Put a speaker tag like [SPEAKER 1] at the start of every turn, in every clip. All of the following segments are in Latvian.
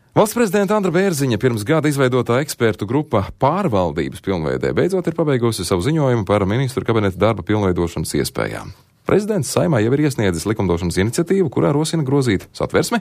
[SPEAKER 1] Valsts prezidenta Andra Bērziņa pirms gada izveidotā ekspertu grupa pārvaldības pilnveidē beidzot ir pabeigusi savu ziņojumu par ministru kabineta darba pilnveidošanas iespējām. Prezidents Saeimā jau ir iesniedzis likumdošanas iniciatīvu, kurā rosina grozīt Satversmi,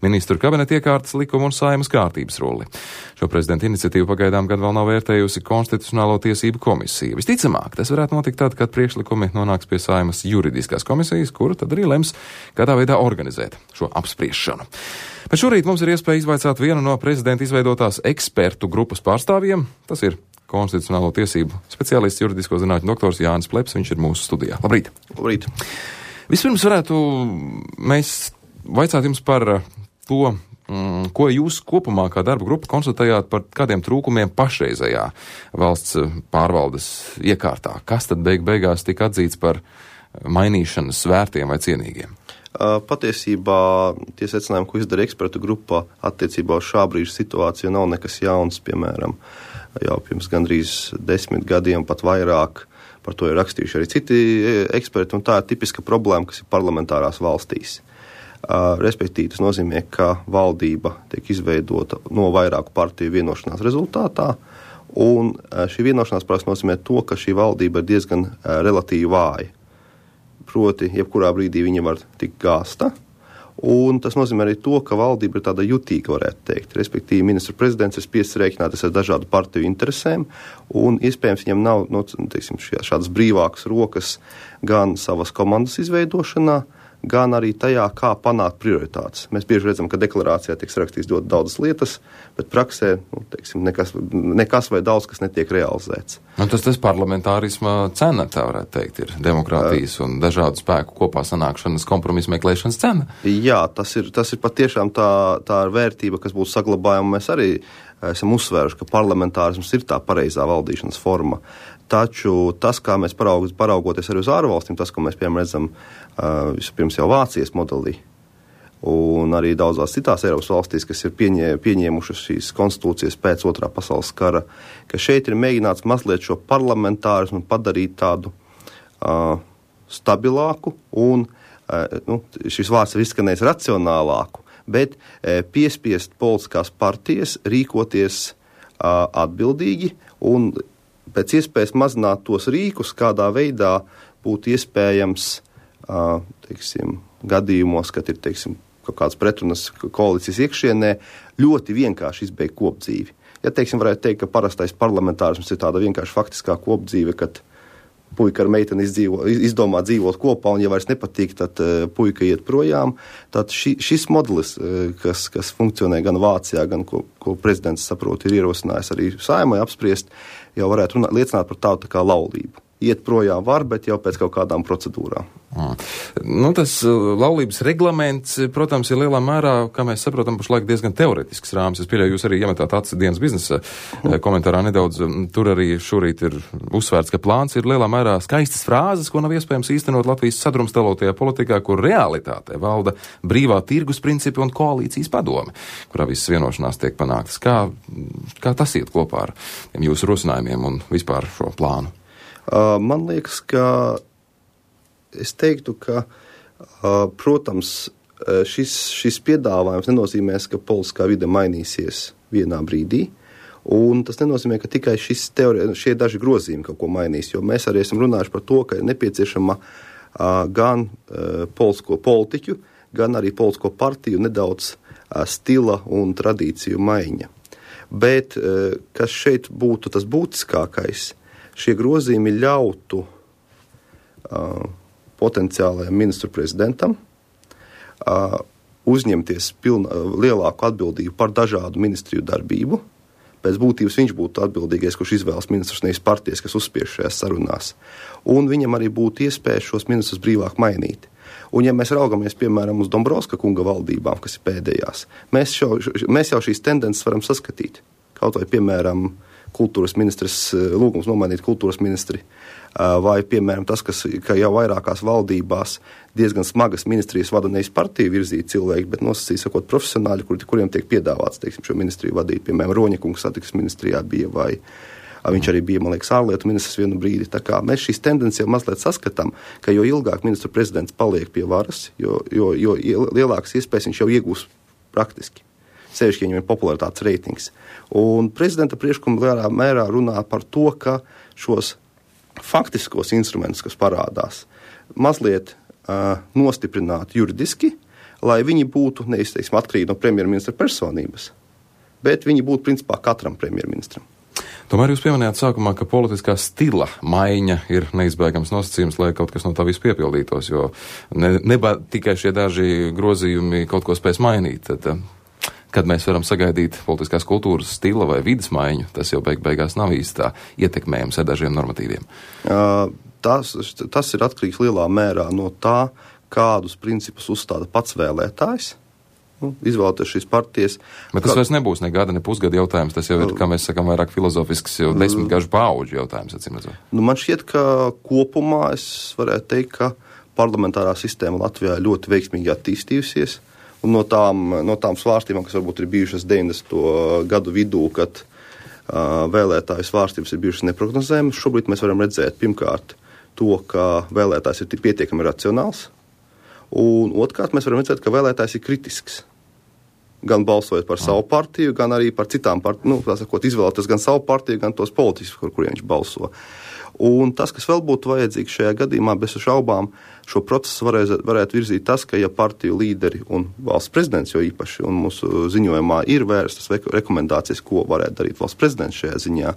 [SPEAKER 1] ministru kabineta iekārtas likumu un Saeimas kārtības rulli. Šo prezidenta iniciatīvu pagaidām gan vēl nav vērtējusi Konstitucionālo tiesību komisija. Visticamāk, tas varētu notikt tad, kad priekšlikumi nonāks pie Saeimas juridiskās komisijas, kura tad arī lems, kādā veidā organizēt šo apspriešanu. Bet šorīt mums ir iespēja izvaicāt vienu no prezidenta izveidotās ekspertu grupas pārstāvjiem. Tas ir Konstitucionālo tiesību speciālists, juridisko zinātņu doktors Jānis Pleps, viņš ir mūsu studijā. Labrīt!
[SPEAKER 2] Labrīt!
[SPEAKER 1] Vispirms varētu mēs vaicāt jums par to, ko jūs kopumā kā darba grupa konstatējāt par kādiem trūkumiem pašreizējā valsts pārvaldes iekārtā. Kas tad beigās tika atzīts par mainīšanas vērtiem vai cienīgiem?
[SPEAKER 2] Patiesībā tie secinājumi, ko izdara ekspertu grupa attiecībā uz šā brīža situāciju, nav nekas jauns, piemēram, jau pirms gandrīz 10 gadiem, pat vairāk, par to ir rakstījuši arī citi eksperti, un tā ir tipiska problēma, kas ir parlamentārās valstīs. Respektīvi, tas nozīmē, ka valdība tiek izveidota no vairāku partiju vienošanās rezultātā, un šī vienošanās parasti nozīmē to, ka šī valdība ir diezgan relatīvi vāja. Proti, jebkurā brīdī viņa var tikt gāsta, un tas nozīmē arī to, ka valdība ir tāda jutīga, varētu teikt. Respektīvi, ministru prezidents ir spiests rēķināties ar dažādu partiju interesēm, un iespējams viņam nav, šādas brīvākas rokas gan savas komandas izveidošanā, gan arī tajā, kā panākt prioritātes. Mēs bieži redzam, ka deklarācijā tiek rakstīts ļoti daudzas lietas, bet praksē, nekas vai daudz, kas netiek realizēts.
[SPEAKER 1] Un tas parlamentārisma cena, tā varētu teikt, ir demokrātijas un dažādu spēku kopā sanākšanas kompromisu meklēšanas cena.
[SPEAKER 2] Jā, tas ir patiešām tā vērtība, kas būtu saglabājama. Mēs arī esam uzsvēruši, ka parlamentārisms ir tā pareizā valdīšanas forma. Taču tas, kā mēs paraugoties arī uz ārvalstīm, tas, ko mēs, piemēram, redzam vispirms jau Vācijas modelī, un arī daudzās citās Eiropas valstīs, kas ir pieņēmušas šīs konstitūcijas pēc Otrā pasaules kara, ka šeit ir mēģināts mazliet šo parlamentārismu padarīt tādu stabilāku un, šis vārds ir izskanējis racionālāku, bet piespiest politiskās partijas rīkoties atbildīgi un pēc iespējas mazināt tos rīkus, kādā veidā būtu iespējams, gadījumos, kad ir, kaut kāds pretrunas koalīcijas iekšienē, ļoti vienkārši izbeigt kopdzīvi. Ja, varētu teikt, ka parastais parlamentārisms ir tāda vienkārši faktiskā kopdzīve, kad puika ar meiteni izdomā dzīvot kopā, un ja vairs nepatīk, tad puika iet projām. Tad šis modelis, kas funkcionē gan Vācijā, gan ko prezidents saprot, ir ierosinājis arī Saeimai apspriest, jau varētu liecināt par tādu tā kā laulību. Iet projām var, bet jau pēc kaut kādām procedūrām.
[SPEAKER 1] Tas laulības reglaments, protams, ir lielā mērā, kā mēs saprotam, pašlaik diezgan teoretisks rāmis. Es pieļauju, jūs arī iemetāt acis dienas biznesa komentārā nedaudz. Tur arī šorīt ir uzsvērts, ka plāns ir lielā mērā skaistas frāzes, ko nav iespējams īstenot Latvijas sadrumstalotajā politikā, kur realitātē valda brīvā tirgus principi un koalīcijas padome, kurā visas vienošanās tiek panāktas. Kā tas iet kopā ar jūsu rosinājumiem un vispār šo plānu?
[SPEAKER 2] Man liekas, ka es teiktu, ka, protams, šis piedāvājums nenozīmēs, ka politiskā vide mainīsies vienā brīdī, un tas nenozīmē, ka tikai šie daži grozījumi kaut ko mainīs, jo mēs arī esam runājuši par to, ka ir nepieciešama gan politiķu, gan arī politisko partiju nedaudz stila un tradīciju maiņa. Bet, kas šeit būtu tas būtiskākais, šie grozījumi ļautu potenciālajam ministru prezidentam uzņemties lielāku atbildību par dažādu ministriju darbību. Pēc būtības viņš būtu atbildīgais, kurš izvēlas ministrus, nevis partijas, kas uzspiež šajās sarunās. Un viņam arī būtu iespēja šos ministrus brīvāk mainīt. Un ja mēs raugamies, piemēram, uz Dombrovska kunga valdībām, kas ir pēdējās, mēs jau šīs tendences varam saskatīt. Kaut vai, piemēram, kultūras ministrs, lūgums nomainīt kultūras ministri, vai, piemēram, tas, ka jau vairākās valdībās diezgan smagas ministrijas vada nevis partiju virzīti cilvēki, bet nosacīt sakot profesionāļi, kuriem tiek piedāvāts, šo ministriju vadīt. Piemēram, Roņa kungs satiksmes ministrijā bija, vai viņš arī bija, man liekas, ārlietu ministrs vienu brīdi. Tā kā mēs šīs tendences jau mazliet saskatām, ka jo ilgāk ministru prezidents paliek pie varas, jo lielākas iespējas viņš jau iegūs praktiski. sevišķi viņam ir popularitātes reitings. Un prezidenta priekšlikumi lielā mērā runā par to, ka šos faktiskos instrumentus, kas parādās, mazliet nostiprināt juridiski, lai viņi būtu neizteiksim atkarīgi no premjerministra personības, bet viņi būtu principā katram premjerministram.
[SPEAKER 1] Tomēr jūs pieminējāt sākumā, ka politiskā stila maiņa ir neizbēgams nosacījums, lai kaut kas no tā viss piepildītos, jo tikai šie daži grozījumi kaut ko spēs mainīt. Tad, kad mēs varam sagaidīt politiskās kultūras stila vai vidas maiņu, tas jau beigās nav īsti tā ietekmējams ar dažiem normatīviem.
[SPEAKER 2] Tas ir atkarīgs lielā mērā no tā, kādus principus uzstāda pats vēlētājs. Izvēlēties šīs partijas.
[SPEAKER 1] Bet tas vairs nebūs ne gada, ne pusgada jautājums. Tas jau ir, kā mēs sakām, vairāk filozofisks, jau 10 gažu paauģu jautājums, atcīmredzot.
[SPEAKER 2] Man šķiet, ka kopumā es varētu teikt, ka parlamentārā sistēma Latvijā ļoti veiksmīgi attīstījusies. Un no tām svārstībām, kas varbūt ir bijušas 90. gadu vidū, kad vēlētāju svārstības ir bijušas neprognozējamas, šobrīd mēs varam redzēt pirmkārt to, ka vēlētājs ir pietiekami racionāls. Un otrkārt mēs varam redzēt, ka vēlētājs ir kritisks. Gan balsojot par savu partiju, gan arī par citām partijām, izvēlēties gan savu partiju, gan tos politiskus, kuriem viņš balso. Un tas, kas vēl būtu vajadzīgs šajā gadījumā, bez šaubām, šo procesu varētu virzīt tas, ka ja partiju līderi un valsts prezidents, jo īpaši, un mūsu ziņojumā ir vērstas rekomendācijas, ko varētu darīt valsts prezidents šajā ziņā,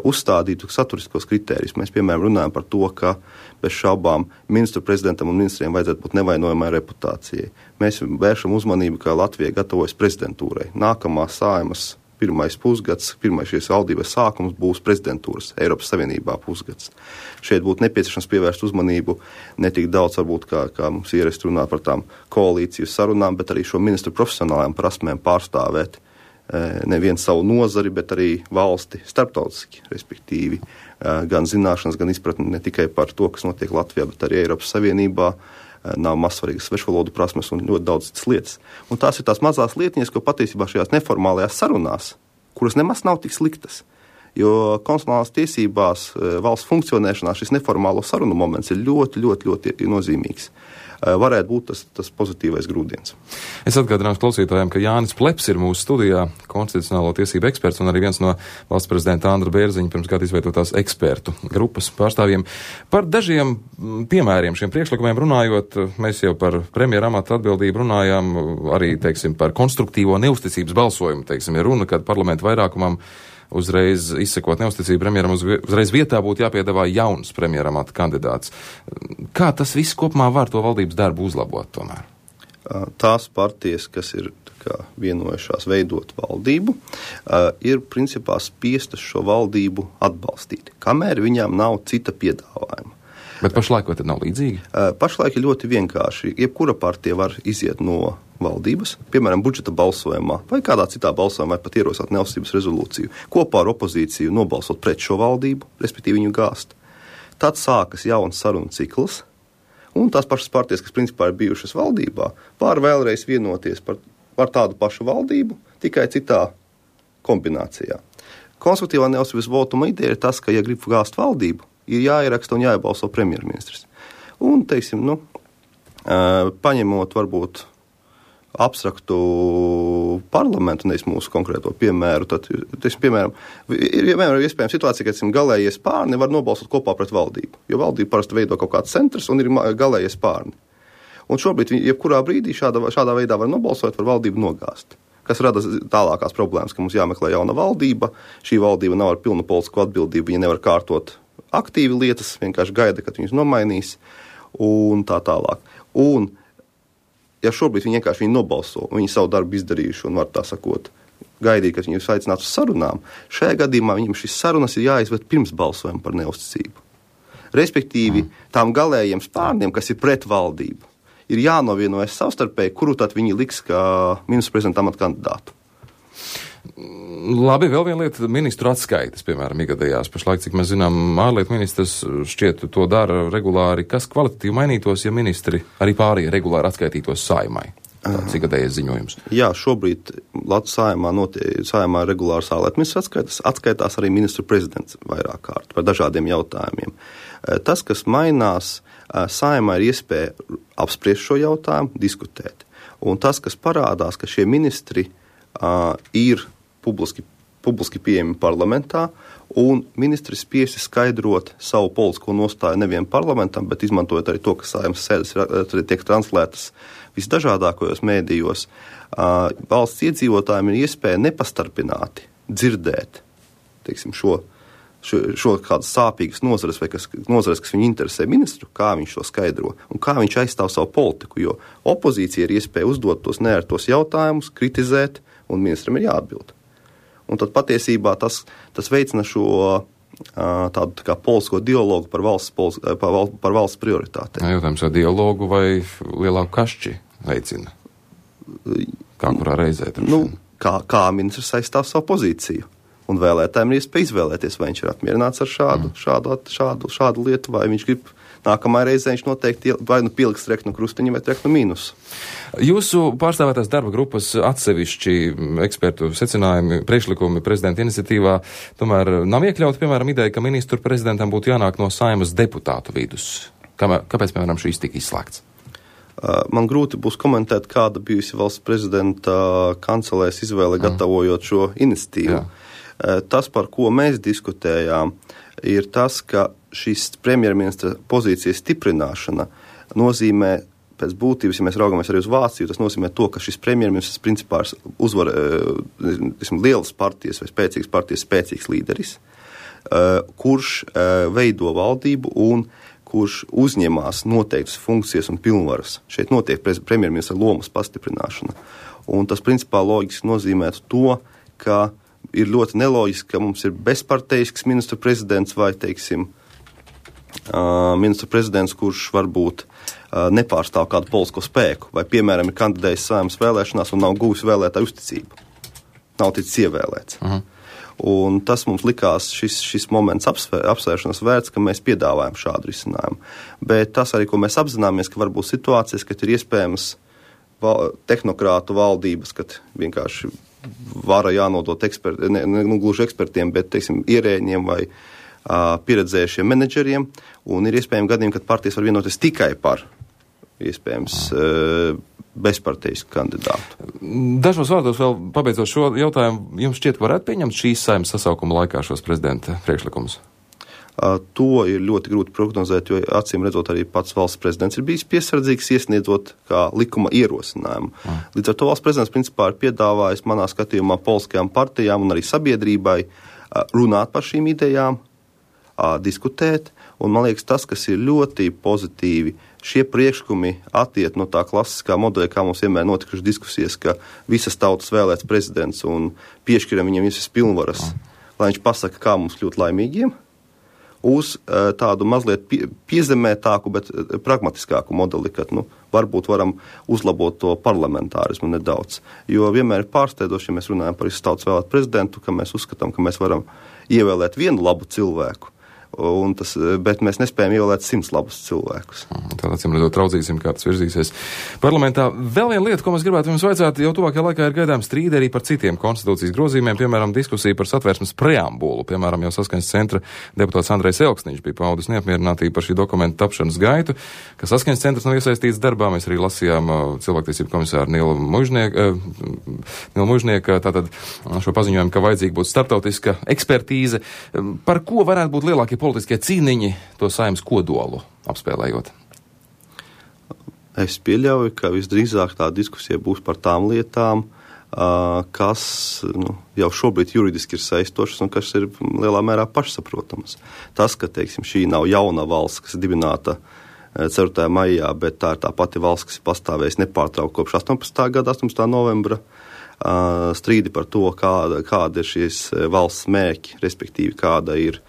[SPEAKER 2] uzstādītu saturiskos kritērijus. Mēs, piemēram, runājam par to, ka bez šaubām ministru prezidentam un ministriem vajadzētu būt nevainojamai reputācijai. Mēs vēršam uzmanību, ka Latvija gatavojas prezidentūrai. Nākamā Saeimas pirmais pusgads, pirmais šīs valdības sākums būs prezidentūras Eiropas Savienībā pusgads. Šeit būtu nepieciešams pievērst uzmanību ne tik daudz, varbūt, kā mums ierasts runāt par tām koalīciju sarunām, bet arī šo ministru profesionālajām prasmēm pārstāvēt nevienu savu nozari, bet arī valsti starptautiski, respektīvi gan zināšanas, gan izpratni ne tikai par to, kas notiek Latvijā, bet arī Eiropas Savienībā, nav mazsvarīgas svešvalodu prasmes un ļoti daudz citas lietas. Un tās ir tās mazās lietiņas, ko patiesībā šajās neformālajās sarunās, kuras nemaz nav tik sliktas, jo konstitucionālās tiesībās valsts funkcionēšanā šis neformālo sarunu moments ir ļoti, ļoti, ļoti nozīmīgs. Varētu būt tas pozitīvais grūdienis.
[SPEAKER 1] Es atgādināšu klausītājiem, ka Jānis Pleps ir mūsu studijā, konstitucionālo tiesību eksperts un arī viens no valsts prezidenta Andra Bērziņa pirms gada izveidotās ekspertu grupas pārstāvjiem. Par dažiem piemēriem šiem priekšlikumiem runājot, mēs jau par premjera amata atbildību runājām, arī, teiksim, par konstruktīvo neusticības balsojumu, teiksim, ja runa, kad parlamentu vairākumam uzreiz izsekot neusticību premjeram, uzreiz vietā būtu jāpiedāvā jauns premjeramata kandidāts. Kā tas viss kopumā var to valdības darbu uzlabot tomēr?
[SPEAKER 2] Tās partijas, kas ir vienojušās veidot valdību, ir principā spiestas šo valdību atbalstīt, kamēr viņām nav cita piedāvājuma.
[SPEAKER 1] Bet pašlaik vai tad nav līdzīgi?
[SPEAKER 2] Pašlaik ir ļoti vienkārši. Jebkura partija var iziet no valdības, piemēram, budžeta balsojumā vai kādā citā balsojumā, vai pat ierosināt neusticības rezolūciju, kopā ar opozīciju nobalsot pret šo valdību, respektīvi viņu gāzt. Tad sākas jauns sarunu cikls, un tās pašas partijas, kas principā ir bijušas valdībā, var vēlreiz vienoties par tādu pašu valdību, tikai citā kombinācijā. Konstruktīvā neusticības votuma ideja ir tas, ka, ja grib gāzt valdību, ir jāieraksta un jāiebalso premjerministrs. Un, teiksim, paņemot varbūt abstraktu parlamentu, nevis mūsu konkrēto piemēru, tad, teiksim, piemēram, ir iespējama situācija, ka galējie spārni var nobalsot kopā pret valdību, jo valdība parasti veido kaut kāds centrs un ir galējie spārni. Un šobrīd, jebkurā brīdī šādā veidā var nobalsot, var valdību nogāzt, kas rada tālākās problēmas, ka mums jāmeklē jauna valdība, šī valdība nav ar pilnu politisko atbildību, viņa nevar kārtot aktīvi lietas, vienkārši gaida, kad viņus nomainīs un tā tālāk. Un, ja šobrīd viņi vienkārši nobalso, viņi savu darbu izdarījuši un var tā sakot, gaidīt, kad viņus aicinātu uz sarunām, šajā gadījumā viņam šis sarunas ir jāizved pirms balsojuma par neusticību. Respektīvi, tām galējiem spārniem, kas ir pret valdību, ir jānovienojas savstarpēji, kuru tad viņi liks kā ministru prezidenta amata kandidātu.
[SPEAKER 1] Labi, vēl viena lieta - ministru atskaites, piemēram, ikgadējās. Pašlaik, cik mēs zinām, ārlietu ministrs šķiet to dara regulāri. Kas kvalitatīvi mainītos, ja ministri arī pārējie regulāri atskaitītos Saeimai? Tāds ikgadējais ziņojums. Jā,
[SPEAKER 2] šobrīd Latvijas Saeimā regulārs ārlietu ministrs atskaitās arī ministru prezidents vairāk kārt par dažādiem jautājumiem. Tas, kas mainās, Saeimā ir iespēja apspriest šo jautājumu, diskutēt. Un tas, kas parādās, ka šie ministri ir publiski pieejami parlamentā, un ministri spiesti skaidrot savu politisko nostāju nevien parlamentam, bet izmantojot arī to, ka Saeimas sēdes tiek translētas visdažādākajos mēdījos. Valsts iedzīvotājiem ir iespēja nepastarpināti dzirdēt, teiksim, šo kādas sāpīgas nozares vai nozares, kas viņu interesē ministru, kā viņš to skaidro un kā viņš aizstāv savu politiku, jo opozīcija ir iespēja uzdot tos neērtos jautājumus, kritizēt, un ministram ir jāatbild. Un tad patiesībā tas veicina šo tādu tā kā politisko dialogu par valsts prioritātēm.
[SPEAKER 1] Jautājums, vai dialogu vai lielāku kašķi veicina? Kā kurā reizē?
[SPEAKER 2] Kā ministrs aizstāv savu pozīciju? Un vēlētājiem ir iespēja izvēlēties, vai viņš ir apmierināts ar šādu lietu, vai viņš grib nākamajā reizē viņš noteikti vai nu pieliks treknu krustiņu vai treknu mīnusu.
[SPEAKER 1] Jūsu pārstāvētās darba grupas atsevišķi ekspertu secinājumi, priekšlikumi prezidenta iniciatīvā tomēr nav iekļauti, piemēram, ideja, ka ministru prezidentam būtu jānāk no Saeimas deputātu vidus. Kāpēc, piemēram, šīs tika izslēgts?
[SPEAKER 2] Man grūti būs komentēt, kāda bijusi valsts prezidenta kancelēs izvēle gatavojot šo iniciatīvu. Jā. Tas, par ko mēs diskutējām, ir tas, ka šīs premjerministra pozīcijas stiprināšana nozīmē, pēc būtības, ja mēs raugamies arī uz Vāciju, tas nozīmē to, ka šis premjerministrs principā uzvar lielas partijas vai spēcīgas partijas spēcīgs līderis, kurš veido valdību un kurš uzņemās noteiktas funkcijas un pilnvaras. Šeit notiek premjerministra lomas pastiprināšana. Un tas principā loģiski nozīmētu to, ka ir ļoti neloģiski, ka mums ir bezparteisks ministru prezidents vai, teiksim, ministru prezidents, kurš varbūt nepārstāv kādu politisko spēku, vai, piemēram, ir kandidējis Saeimas vēlēšanās un nav guvis vēlētāju uzticību. Nav ticis ievēlēts. Un tas mums likās šis moments apsvēršanas vērts, ka mēs piedāvājam šādu risinājumu. Bet tas arī, ko mēs apzināmies, ka var būt situācijas, kad ir iespējams tehnokrātu valdības, kad vienkārši vara jānodot gluži ekspertiem, bet, teiksim, ierēģiem vai pieredzējušiem menedžeriem, un ir iespējami gadījumi, kad partijas var vienoties tikai par iespējams bezparteisku kandidātu.
[SPEAKER 1] Dažos vārdos vēl pabeidzot šo jautājumu, jums šķiet, varētu pieņemt šīs Saeimas sasaukuma laikā šos prezidenta priekšlikumus?
[SPEAKER 2] To ir ļoti grūti prognozēt, jo acīm redzot arī pats valsts prezidents ir bijis piesardzīgs iesniedzot kā likuma ierosinājumu. Līdz ar to valsts prezidents principā ir piedāvājis manā skatījumā politiskajām partijām un arī sabiedrībai runāt par šīm idejām, diskutēt, un man liekas tas, kas ir ļoti pozitīvi, šie priekšlikumi attiet no tā klasiskā modeļa, kā mums vienmēr notikušas diskusijas, ka visas tautas vēlēts prezidents un piešķiram viņam visas pilnvaras, lai viņš pasaka, kā mums kļūt laimīgiem, uz tādu mazliet piezemētāku, bet pragmatiskāku modeli, kad varbūt varam uzlabot to parlamentārismu nedaudz. Jo vienmēr ir pārsteidoši, ja mēs runājam par visu tautas vēlētu prezidentu, ka mēs uzskatām, ka mēs varam ievēlēt vienu labu cilvēku, bet mēs nespējam ievēlēt 100 labus cilvēkus.
[SPEAKER 1] Tad acīm redzot, raudzīsim, kā tas virzīsies parlamentā. Vēl viena lieta, ko mēs gribētu jums vaicāt, jau tuvākajā laikā ir gaidām strīdi arī par citiem konstitūcijas grozījumiem, piemēram, diskusija par satversmes preambulu. Piemēram, jau Saskaņas centra deputāts Andrejs Elksniņš bija paudis neapmierinātību par šī dokumenta tapšanas gaitu, ka Saskaņas centrs nav iesaistīts darbā. Mēs arī lasījām cilvēktiesību komisāru Nilu Mužnieku tātad šo paziņojumu, ka vajadzīga būtu starptautiska ekspertīze. Par ko varētu būt lielākie politiskie cīniņi to Saeimas kodolu apspēlējot?
[SPEAKER 2] Es pieļauju, ka visdrīzāk tā diskusija būs par tām lietām, kas jau šobrīd juridiski ir saistošas un kas ir lielā mērā pašsaprotamas. Tas, ka, teiksim, šī nav jauna valsts, kas ir dibināta 4. maijā, bet tā ir tā pati valsts, kas ir pastāvējusi nepārtraukti kopš 18. gada 18. novembra, strīdi par to, kāda ir šīs valsts mērķi, respektīvi kāda ir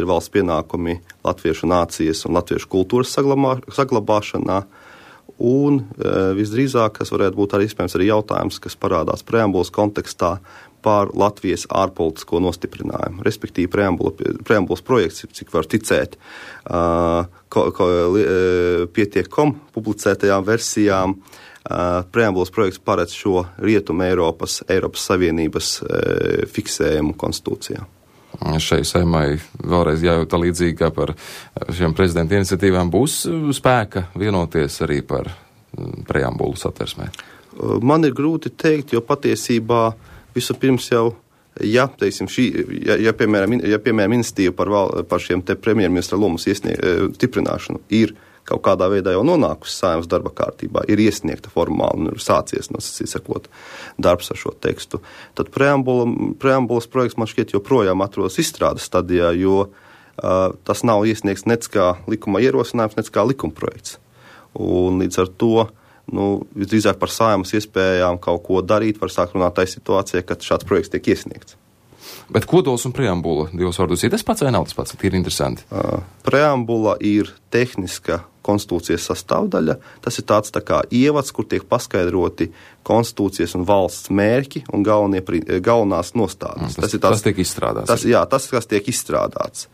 [SPEAKER 2] valsts pienākumi latviešu nācijas un latviešu kultūras saglabāšanā. Un visdrīzāk, kas varētu būt arī iespējams arī jautājums, kas parādās preambulas kontekstā par Latvijas ārpolitisko nostiprinājumu. Respektīvi, preambulas projekts, cik var ticēt, pietiek.com publicētajām versijām, preambulas projekts paredz šo Rietumu Eiropas Savienības fiksējumu konstitūcijā.
[SPEAKER 1] Šai Saeimai vēlreiz jājūt līdzīgi kā par šiem prezidenta iniciatīvām būs spēka vienoties arī par preambulu satversmē?
[SPEAKER 2] Man ir grūti teikt, jo patiesībā vispirms jau, teiksim, piemēram, iniciatīva par šiem te premjerministra lomas stiprināšanu ir kaut kādā veidā jau nonākusi Saeimas darba kārtībā, ir iesniegta formāli un ir sācies, sakot, darbs ar šo tekstu. Tad preambulas projekts man šķiet joprojām atrodas izstrādes stadijā, jo tas nav iesniegts nec kā likuma ierosinājums, nec kā likuma projekts. Un līdz ar to, visdrīzāk par Saeimas iespējām kaut ko darīt, var sākt runāt tai situācijai, kad šāds projekts tiek iesniegts.
[SPEAKER 1] Bet kodols un preambula, divos vārdos, ir tas pats vai nav tas pats? Ir interesanti.
[SPEAKER 2] Preambula ir tehniska konstitūcijas sastāvdaļa. Tas ir tāds tā kā ievads, kur tiek paskaidroti konstitūcijas un valsts mērķi un galvenās nostādnes.
[SPEAKER 1] Tas tiek izstrādāts.
[SPEAKER 2] Tas, kas tiek izstrādāts.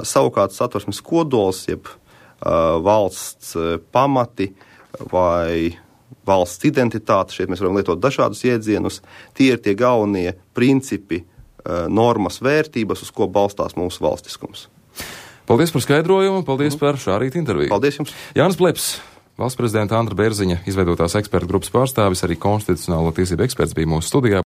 [SPEAKER 2] Savukārt satversmes kodols, jeb valsts pamati vai valsts identitāte, šeit mēs varam lietot dažādus iedzienus, tie ir tie galvenie principi, normas, vērtības, uz ko balstās mūsu valstiskums.
[SPEAKER 1] Paldies par skaidrojumu, paldies par šā rīta interviju.
[SPEAKER 2] Paldies jums.
[SPEAKER 1] Jānis Pleps, valsts prezidenta Andra Bērziņa izveidotās ekspertu grupas pārstāvis, arī konstitucionālo tiesību eksperts bija mūsu studijā.